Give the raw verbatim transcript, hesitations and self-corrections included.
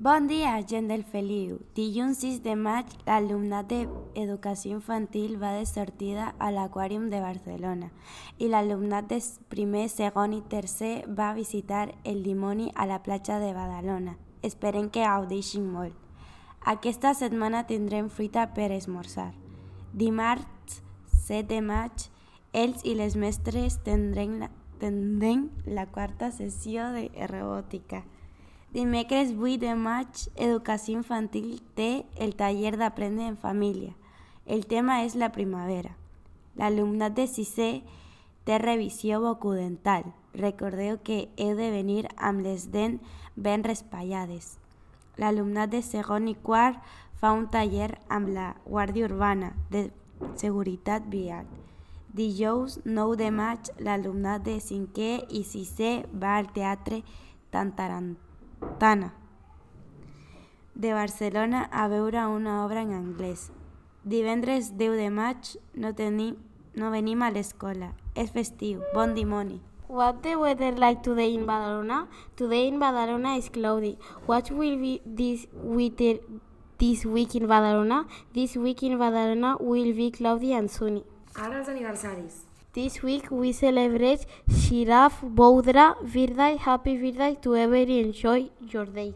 Bon dia, gent del Feliu. Dilluns sis de maig, l'alumnat d'Educació Infantil va de sortida a l'Aquàrium de Barcelona i l'alumnat de primer, segon i tercer va visitar el dimoni a la platja de Badalona. Esperem que gaudeixin molt. Aquesta setmana tindrem fruita per esmorzar. Dimarts set de maig, ells i les mestres tindrem la, tindrem la quarta sessió de robòtica. Dimecres vuit de maig, Educació Infantil té el taller d'Aprendre en Família. El tema és la primavera. L'alumnat de sisè té revisió bucodental. Recordeu que heu de venir amb les dents ben raspallades. L'alumnat de segon i quart fa un taller amb la Guàrdia Urbana de Seguretat Vial. Dijous nou de maig, l'alumnat de cinquè i sisè va al Teatre Tantarantana de Barcelona a veure una obra en anglès. Divendres deu de maig no, tenim, no venim a l'escola. És festiu. Bon dimoni. What the weather like today in Badalona? Today in Badalona is cloudy. What will be this weather this week in Badalona? This week in Badalona will be cloudy and sunny. Ara els aniversaris. This week we celebrate Shiraf Boudra birthday. Happy birthday to everybody. Enjoy your day.